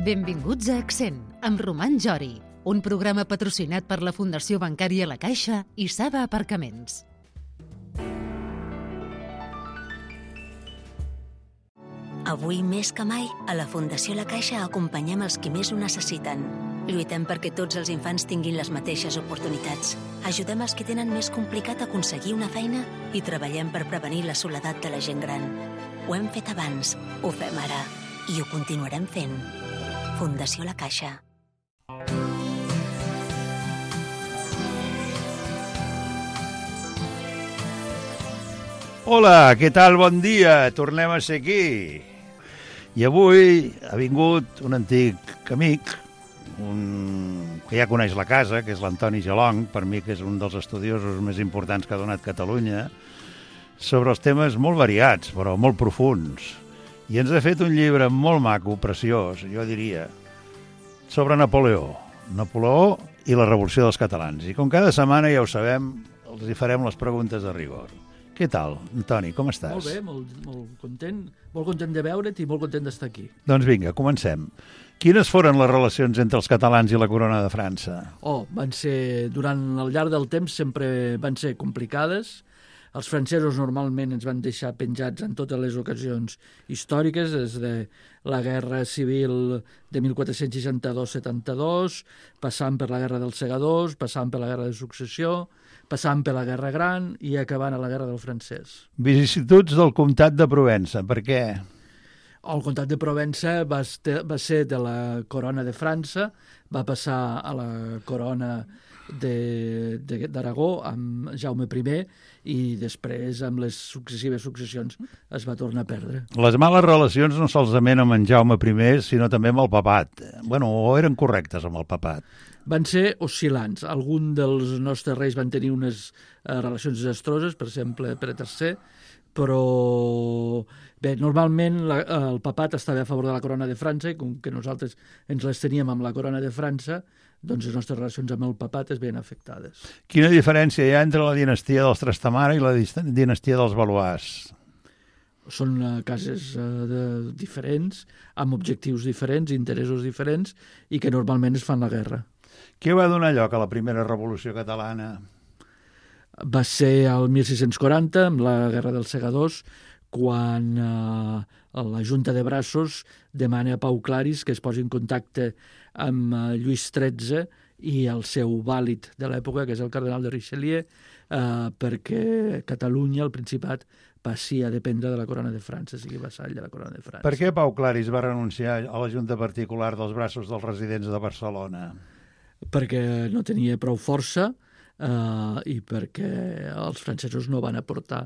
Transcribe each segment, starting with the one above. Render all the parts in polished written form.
Benvinguts a Accent, amb Roman Jori, un programa patrocinat per la Fundació Bancària La Caixa i Saba Aparcaments. Avui més que mai, a la Fundació La Caixa acompanyem els qui més ho necessiten. Lluitem perquè tots els infants tinguin les mateixes oportunitats. Ajudem els que tenen més complicat aconseguir una feina i treballem per prevenir la soledat de la gent gran. Ho hem fet abans, ho fem ara i ho continuarem fent. Fundació La Caixa. Hola, què tal? Bon dia. Tornem a ser aquí. I avui ha vingut un antic amic, que ja coneix la casa, que és l'Antoni Gelong, per mi que és un dels estudiosos més importants que ha donat Catalunya, sobre els temes molt variats, però molt profunds. I ens ha fet un llibre molt maco, preciós, jo diria, sobre Napoleó i la Revolució dels Catalans. I com cada setmana, ja ho sabem, els hi farem les preguntes de rigor. Què tal, Antoni, com estàs? Molt bé, molt content de veure't i molt content d'estar aquí. Doncs vinga, comencem. Quines foren les relacions entre els catalans i la corona de França? Durant el llarg del temps sempre van ser complicades. Els francesos normalment ens van deixar penjats en totes les ocasions històriques, des de la Guerra Civil de 1462-72, passant per la Guerra dels Segadors, passant per la Guerra de Successió, passant per la Guerra Gran i acabant a la Guerra del Francès. Vicissituds del comtat de Provença, per què? El comtat de Provença va ser de la corona de França, va passar a la corona d'Aragó amb Jaume I i després amb les successions es va tornar a perdre. Les males relacions no solament amb en Jaume I, sinó també amb el papat. O eren correctes amb el papat? Van ser oscil·lants. Alguns dels nostres reis van tenir unes relacions desastroses, per exemple, Pere III, però bé, normalment el papat estava a favor de la corona de França i com que nosaltres ens les teníem amb la corona de França, doncs les nostres relacions amb el papat es veien afectades. Quina diferència hi ha entre la dinastia dels Trastamara i la dinastia dels Valois? Són cases diferents, amb objectius diferents, interessos diferents i que normalment es fan la guerra. Què va donar lloc a la primera revolució catalana? Va ser el 1640, amb la Guerra dels Segadors, quan la Junta de Braços demana a Pau Claris que es posi en contacte amb Lluís XIII i el seu vàlid de l'època, que és el cardenal de Richelieu, perquè Catalunya, el Principat, passi a dependre de la corona de França, sigui vassall de la corona de França. Per què Pau Claris va renunciar a la Junta Particular dels Braços dels Residents de Barcelona? Perquè no tenia prou força i perquè els francesos no van aportar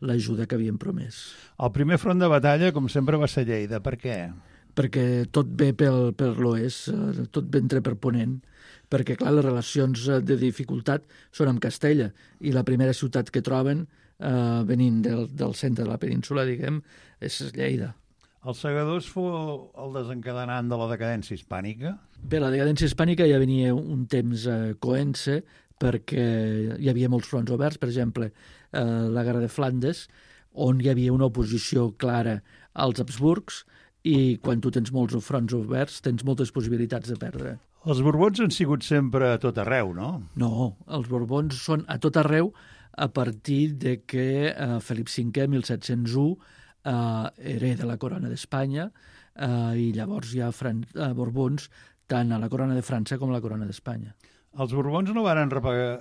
l'ajuda que havien promès. El primer front de batalla, com sempre, va ser Lleida. Per què? Perquè tot ve per l'oest, tot ve entre per Ponent, perquè, clar, les relacions de dificultat són amb Castella, i la primera ciutat que troben, venint del centre de la península, diguem, és Lleida. Els Segadors fou el desencadenant de la decadència hispànica? Bé, la decadència hispànica ja venia un temps coent-se, perquè hi havia molts fronts oberts, per exemple, la Guerra de Flandes, on hi havia una oposició clara als Habsburgs, i quan tu tens molts fronts oberts tens moltes possibilitats de perdre. Els Borbons han sigut sempre a tot arreu, no? No, els Borbons són a tot arreu a partir de que Felip V, 1701, hereda la corona d'Espanya i llavors hi ha Borbons tant a la corona de França com a la corona d'Espanya. Els Borbons no van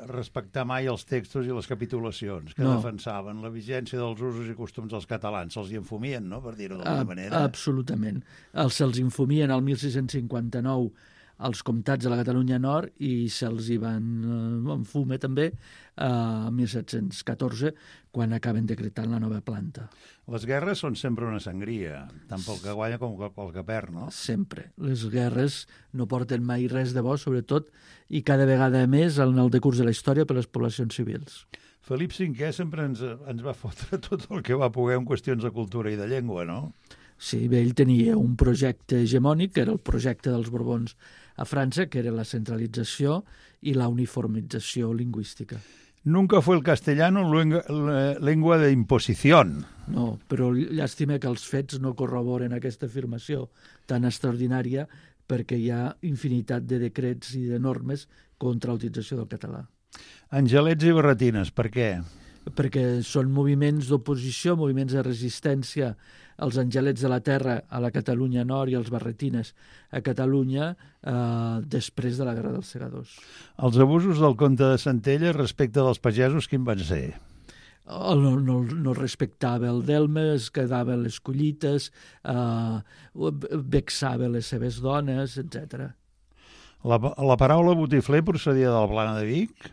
respectar mai els textos i les capitulacions que defensaven la vigència dels usos i costums dels catalans. Se'ls hi enfumien, no?, per dir-ho d'alguna manera. Absolutament. Se'ls infumien el 1659 als comtats de la Catalunya Nord i se'ls hi van enfume també a 1714, quan acaben decretant la nova planta. Les guerres són sempre una sangria, tant pel que guanya com pel que perd, no? Sempre. Les guerres no porten mai res de bo, sobretot, i cada vegada més en el decurs de la història per les poblacions civils. Felip V sempre ens va fotre tot el que va poder en qüestions de cultura i de llengua, no? Sí, bé, ell tenia un projecte hegemònic, que era el projecte dels Borbons a França, que era la centralització i la uniformització lingüística. Nunca fue el castellano lengua de imposición. No, però llàstima que els fets no corroboren aquesta afirmació tan extraordinària perquè hi ha infinitat de decrets i de normes contra la utilització del català. Angelets i barretines, per què? Perquè són moviments d'oposició, moviments de resistència. Els Angelets de la Terra a la Catalunya Nord i els barretines a Catalunya després de la Guerra dels Segadors. Els abusos del comte de Centelles respecte dels pagesos, quin van ser? No respectava el delme, es quedava les collites, vexava les seves dones, etc. La paraula botifler procedia del Plana de Vic?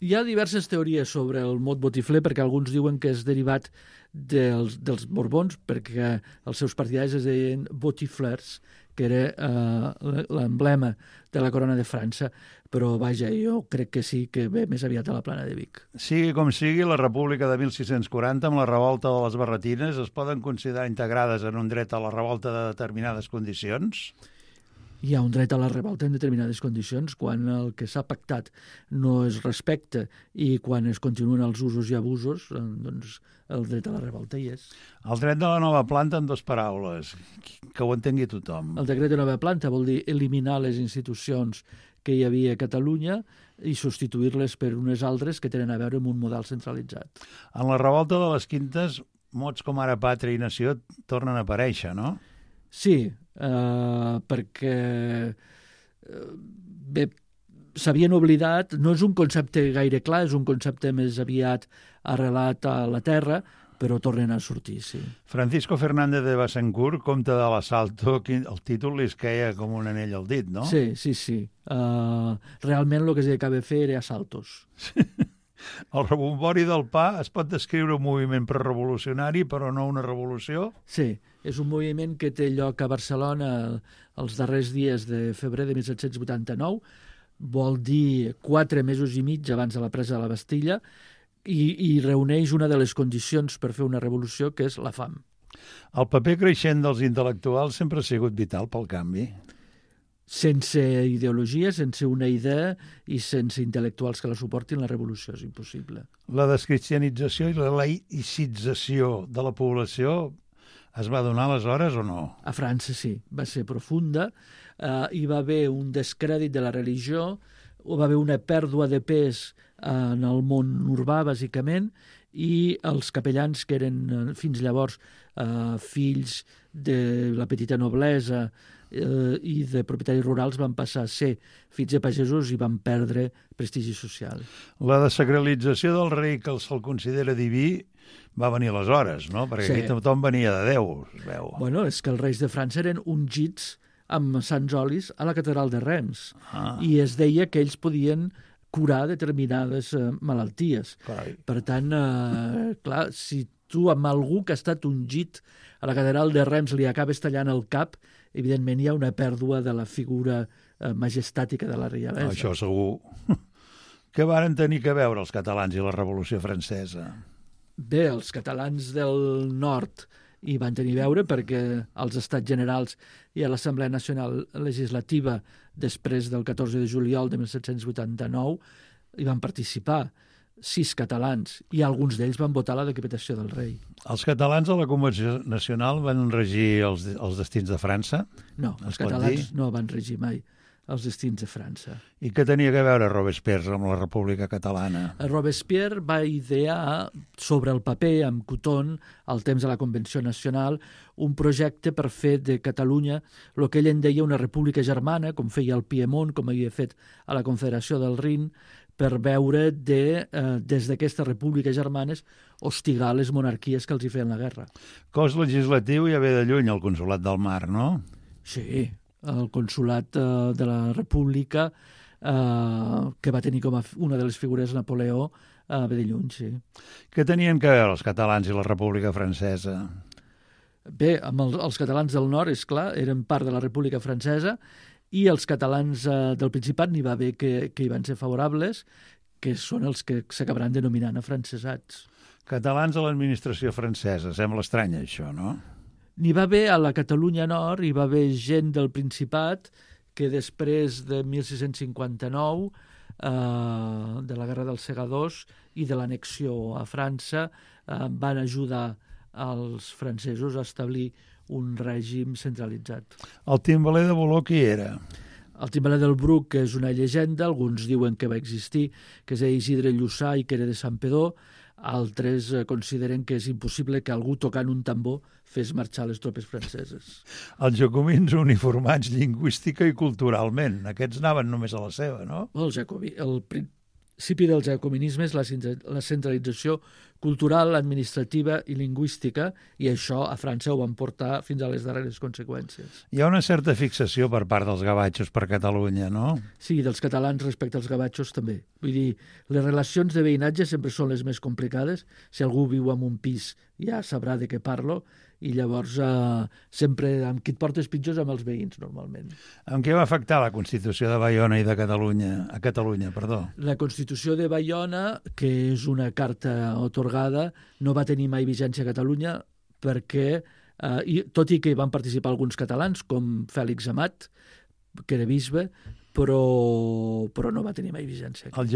Hi ha diverses teories sobre el mot botifler, perquè alguns diuen que és derivat dels Borbons, perquè els seus partidaris es deien botiflers, que era l'emblema de la corona de França, però vaja, jo crec que sí, que ve més aviat a la Plana de Vic. Sigui com sigui, la República de 1640 amb la revolta de les barretines es poden considerar integrades en un dret a la revolta de determinades condicions? Hi ha un dret a la revolta en determinades condicions quan el que s'ha pactat no es respecta i quan es continuen els usos i abusos, doncs el dret a la revolta hi és. El dret de la nova planta en 2 paraules, que ho entengui tothom. El decret de nova planta vol dir eliminar les institucions que hi havia a Catalunya i substituir-les per unes altres que tenen a veure amb un model centralitzat. En la revolta de les Quintes, mots com ara pàtria i nació tornen a aparèixer, no? Sí, perquè s'havien oblidat, no és un concepte gaire clar, és un concepte més aviat arrelat a la terra, però tornen a sortir, sí. Francisco Fernández de Betancourt, comte de l'Assalto, el títol li es queia com un anell al dit, no? Sí. Realment el que s'acaba de fer era assaltos. El rebombori del pa es pot descriure un moviment prerevolucionari, però no una revolució? Sí, és un moviment que té lloc a Barcelona els darrers dies de febrer de 1789, vol dir 4 mesos i mig abans de la presa de la Bastilla, i reuneix una de les condicions per fer una revolució, que és la fam. El paper creixent dels intel·lectuals sempre ha sigut vital pel canvi. Sense ideologia, sense una idea i sense intel·lectuals que la suportin, la revolució és impossible. La descristianització i la laïcització de la població es va donar aleshores o no? A França sí, va ser profunda. Hi va haver un descrèdit de la religió, va haver una pèrdua de pes en el món urbà, bàsicament, i els capellans, que eren fins llavors fills de la petita noblesa i de propietaris rurals, van passar a ser fills de pagesos i van perdre prestigi social. La desacralització del rei, que se'l considera diví, va venir aleshores, no? Perquè sí. Aquí tothom venia de Déu, es veu. Bueno, és que els reis de França eren ungits amb sants olis a la catedral de Reims. I es deia que ells podien curar determinades malalties. Carai. Per tant, clar, si tu amb algú que ha estat ungit a la catedral de Reims li acabes tallant el cap, evidentment hi ha una pèrdua de la figura majestàtica de la reialesa. Això segur. Què varen tenir que veure els catalans i la Revolució Francesa? Bé, els catalans del nord hi van tenir a veure perquè als Estats Generals i a l'Assemblea Nacional Legislativa després del 14 de juliol de 1789 hi van participar 6 catalans i alguns d'ells van votar la decapitació del rei. Els catalans a la Convenció Nacional van regir els destins de França? No, els catalans no van regir mai els destins de França. I què tenia a veure Robespierre amb la República Catalana? Robespierre va idear sobre el paper, amb Couthon, al temps de la Convenció Nacional, un projecte per fer de Catalunya el que ell en deia una república germana, com feia el Piemont, com havia fet a la Confederació del Rin, per veure des d'aquestes repúbliques germanes hostigar les monarquies que els hi feien la guerra. Cos legislatiu ja ve de lluny al Consolat del Mar, no? Sí, el Consolat de la República, que va tenir com a una de les figures Napoleó, ve de lluny, sí. Què tenien que veure els catalans i la República Francesa? Bé, amb els catalans del nord, és clar, eren part de la República Francesa, i els catalans del Principat n'hi va haver que hi van ser favorables, que són els que s'acabaran denominant afrancesats. Catalans a l'administració francesa, sembla estrany això, no? N'hi va haver a la Catalunya Nord, hi va haver gent del Principat que després de 1659, de la Guerra dels Segadors i de l'annexió a França, van ajudar als francesos a establir un règim centralitzat. El timbaler de Boló qui era? El timbaler del Bruc, que és una llegenda, alguns diuen que va existir, que és Isidre Lluçà i que era de Santpedor, altres consideren que és impossible que algú tocant un tambor fes marxar les tropes franceses. Els jacobins uniformats lingüística i culturalment. Aquests anaven només a la seva, no? El principi del jacobinisme és la centralització cultural, administrativa i lingüística, i això a França ho van portar fins a les darreres conseqüències. Hi ha una certa fixació per part dels gavatxos per Catalunya, no? Sí, dels catalans respecte als gavatxos també. Vull dir, les relacions de veïnatge sempre són les més complicades. Si algú viu en un pis ja sabrà de què parlo, i llavors sempre amb qui et portes pitjors amb els veïns, normalment. En què va afectar la Constitució de Baiona i de Catalunya? A Catalunya, perdó. La Constitució de Baiona, que és una carta atorgada, no va tenir mai vigència a Catalunya perquè, tot i que hi van participar alguns catalans, com Fèlix Amat, que era bisbe, però no va tenir mai vigència. El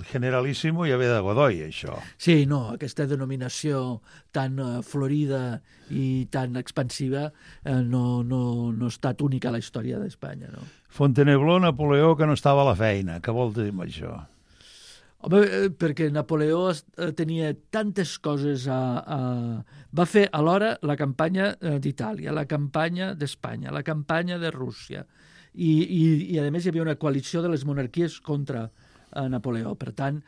generalíssimo ja ve de Godoy, això. Sí, no, aquesta denominació tan florida i tan expansiva no ha estat única a la història d'Espanya, no? Fontainebleau, Napoleó, que no estava a la feina. Què vol dir amb això? Home, perquè Napoleó tenia tantes coses va fer alhora la campanya d'Itàlia, la campanya d'Espanya, la campanya de Rússia, i a més hi havia una coalició de les monarquies contra Napoleó. Per tant,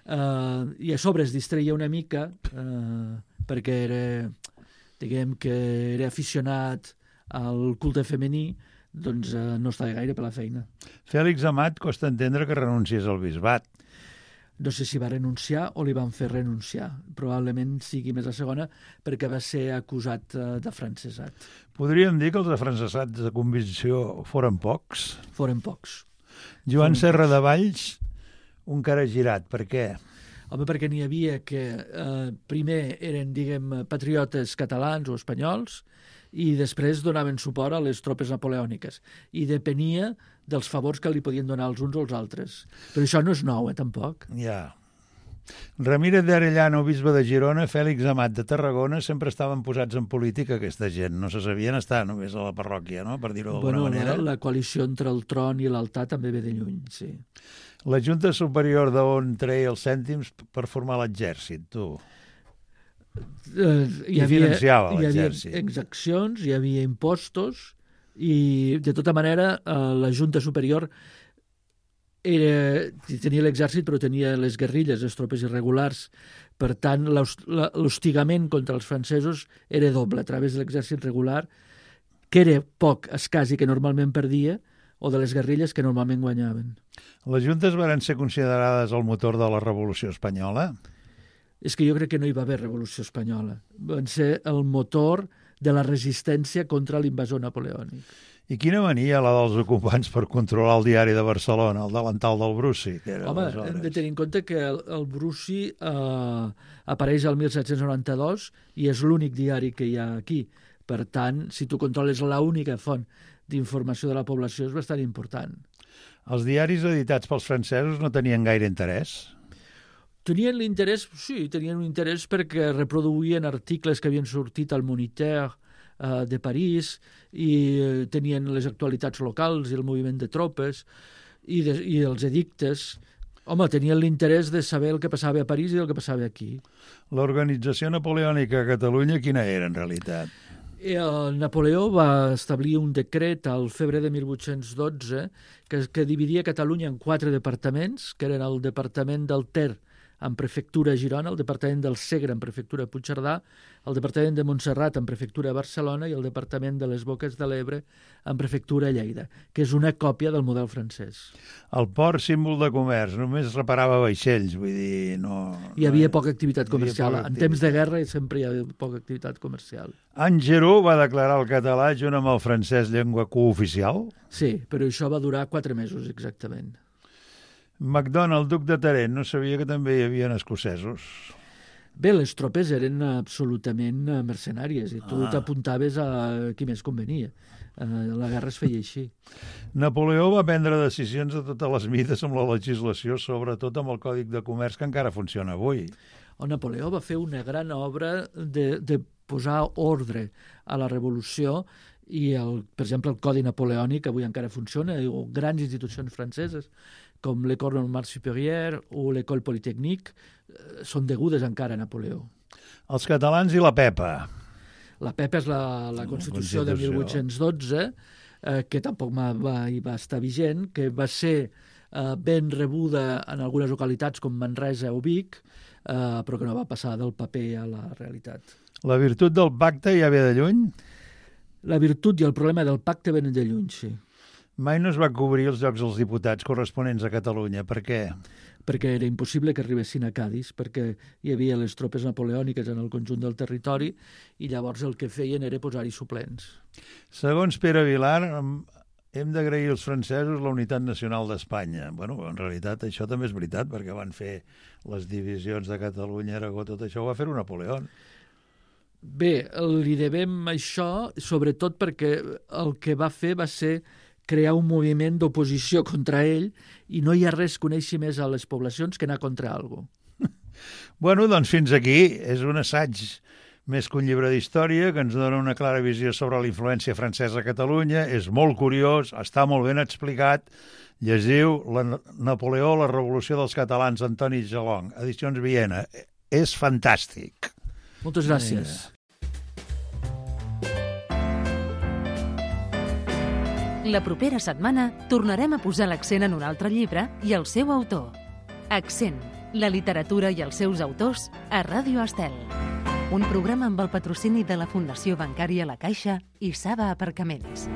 i a sobre es distreia una mica perquè era aficionat al culte femení, doncs no estava gaire per la feina. Fèlix Amat costa entendre que renunciés al bisbat. No sé si va renunciar o li van fer renunciar. Probablement sigui més la segona, perquè va ser acusat d'afrancesat. Podríem dir que els afrancesats de convicció foren pocs? Foren pocs. Joan Serra de Valls, un cara girat. Per què? Home, perquè n'hi havia que primer eren, patriotes catalans o espanyols, i després donaven suport a les tropes napoleòniques. I depenia dels favors que li podien donar els uns o els altres. Però això no és nou, tampoc. Ja. Ramírez de Arellano, bisbe de Girona, Fèlix Amat de Tarragona, sempre estaven posats en política, aquesta gent. No se sabien estar només a la parròquia, no?, per dir-ho d'alguna manera. La coalició entre el tron i l'altar també ve de lluny, sí. La Junta Superior d'on treia els cèntims per formar l'exèrcit, tu? Hi havia l'exèrcit. exaccions, hi havia impostos, i de tota manera la Junta Superior tenia l'exèrcit però tenia les guerrilles, les tropes irregulars. Per tant, l'hostigament contra els francesos era doble, a través de l'exèrcit regular, que era poc escàs i que normalment perdia, o de les guerrilles que normalment guanyaven. Les juntes van ser considerades el motor de la Revolució Espanyola? És que jo crec que no hi va haver Revolució Espanyola. Van ser el motor de la resistència contra l'invasor napoleònic. I quina mania la dels ocupants per controlar el diari de Barcelona, el delantal del Bruci? Home, hem de tenir en compte que el Bruci apareix al 1792 i és l'únic diari que hi ha aquí. Per tant, si tu controles l'única font d'informació de la població és bastant important. Els diaris editats pels francesos no tenien gaire interès? Tenien l'interès, sí, tenien un interès perquè reproduïen articles que havien sortit al Moniteur de París i tenien les actualitats locals i el moviment de tropes i els edictes. Home, tenien l'interès de saber el que passava a París i el que passava aquí. L'organització napoleònica a Catalunya quina era, en realitat? Napoleó va establir un decret al febrer de 1812 que dividia Catalunya en 4 departaments, que eren el departament del Ter, en prefectura a Girona, el departament del Segre, en prefectura a Puigcerdà, el departament de Montserrat, en prefectura a Barcelona, i el departament de les Boques de l'Ebre, en prefectura a Lleida, que és una còpia del model francès. El port, símbol de comerç, només reparava vaixells, vull dir, no... Hi havia poca activitat comercial. En temps de guerra sempre hi havia poca activitat comercial. Angeró va declarar el català junt amb el francès llengua cooficial? Sí, però això va durar 4 mesos, exactament. MacDonald, duc de Tarent, no sabia que també hi havia escocesos. Bé, les tropes eren absolutament mercenàries i tu t'apuntaves a qui més convenia. La guerra es feia així. Napoleó va prendre decisions de totes les mides amb la legislació, sobretot amb el Còdic de Comerç, que encara funciona avui. Napoleó va fer una gran obra de posar ordre a la revolució i, per exemple, el Codi Napoleònic avui encara funciona, o grans institucions franceses com l'École Normale Supérieure o l'École Polytechnique són degudes encara a Napoleó. Els catalans i la Pepa. La Pepa és la Constitució de 1812, que tampoc va estar vigent, que va ser ben rebuda en algunes localitats com Manresa o Vic, però que no va passar del paper a la realitat. La virtut del pacte ja ve de lluny? La virtut i el problema del pacte venen de lluny, sí. Mai no es va cobrir els llocs dels diputats corresponents a Catalunya. Per què? Perquè era impossible que arribessin a Cadis, perquè hi havia les tropes napoleòniques en el conjunt del territori i llavors el que feien era posar-hi suplents. Segons Pere Vilar, hem d'agrair als francesos la unitat nacional d'Espanya. Bueno, en realitat això també és veritat, perquè van fer les divisions de Catalunya, Aragó, tot això ho va fer Napoleó. Bé, li devem això, sobretot perquè el que va fer va ser crear un moviment d'oposició contra ell i no hi ha res que uneixi més a les poblacions que anar contra algú. Bueno, doncs fins aquí. És un assaig més que un llibre d'història que ens dona una clara visió sobre la influència francesa a Catalunya. És molt curiós, està molt ben explicat. Llegiu Napoleó, la revolució dels catalans, Antoni Gelong, edicions Viena. És fantàstic. Moltes gràcies. La propera setmana tornarem a posar l'accent en un altre llibre i el seu autor. Accent, la literatura i els seus autors a Ràdio Estel. Un programa amb el patrocini de la Fundació Bancària La Caixa i Saba Aparcaments.